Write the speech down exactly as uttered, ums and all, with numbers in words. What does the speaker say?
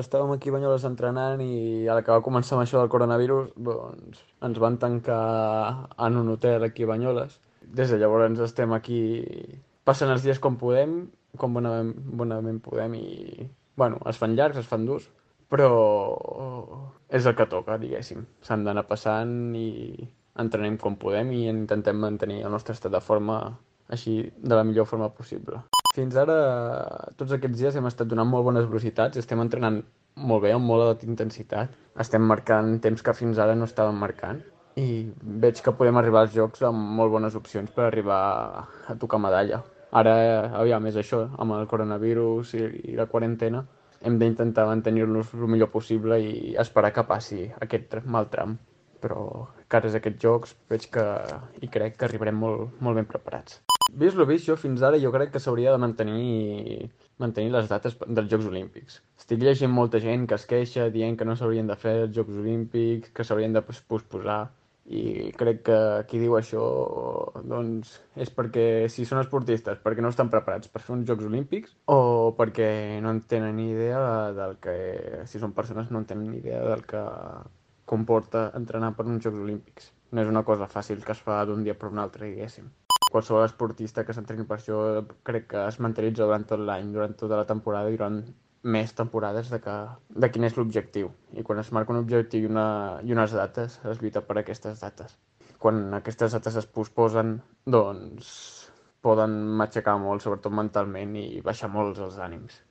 Estàvem aquí a Banyoles entrenant i a la que va començar amb això del coronavirus, doncs ens van tancar en un hotel aquí a Banyoles. Des de llavors estem aquí passant els dies com podem, com bonament, bonament podem i, bueno, es fan llargs, es fan durs, però és el que toca, diguéssim. S'han d'anar passant i entrenem com podem i intentem mantenir el nostre estat de forma així de la millor forma possible. Fins ara, tots aquests dies hem estat donant molt bones velocitats, estem entrenant molt bé, amb molt alta intensitat. Estem marcant temps que fins ara no estàvem marcant i veig que podem arribar als jocs amb molt bones opcions per arribar a tocar medalla. Ara, aviam, és això, amb el coronavirus i, i la quarantena, hem d'intentar mantenir-nos el millor possible i esperar que passi aquest mal tram. Però, cares a aquests jocs, veig que i crec que arribarem molt, molt ben preparats. Vist lo vist, jo fins ara jo crec que s'hauria de mantenir, mantenir les dates dels Jocs Olímpics. Estic llegint molta gent que es queixa dient que no s'haurien de fer els Jocs Olímpics, que s'haurien de pos- posposar, i crec que qui diu això doncs és perquè si són esportistes, perquè no estan preparats per fer uns Jocs Olímpics o perquè no en tenen ni idea del que, si són persones no en tenen ni idea del que comporta entrenar per uns Jocs Olímpics. No és una cosa fàcil que es fa d'un dia per un altre, diguéssim. Qualsevol esportista que s'entreni per això crec que es mentalitza durant tot l'any, durant tota la temporada i durant més temporades de, que, de quin és l'objectiu. I quan es marca un objectiu i, una, i unes dates, es lluita per aquestes dates. Quan aquestes dates es posposen, doncs poden matxacar molt, sobretot mentalment, i baixar molt els ànims.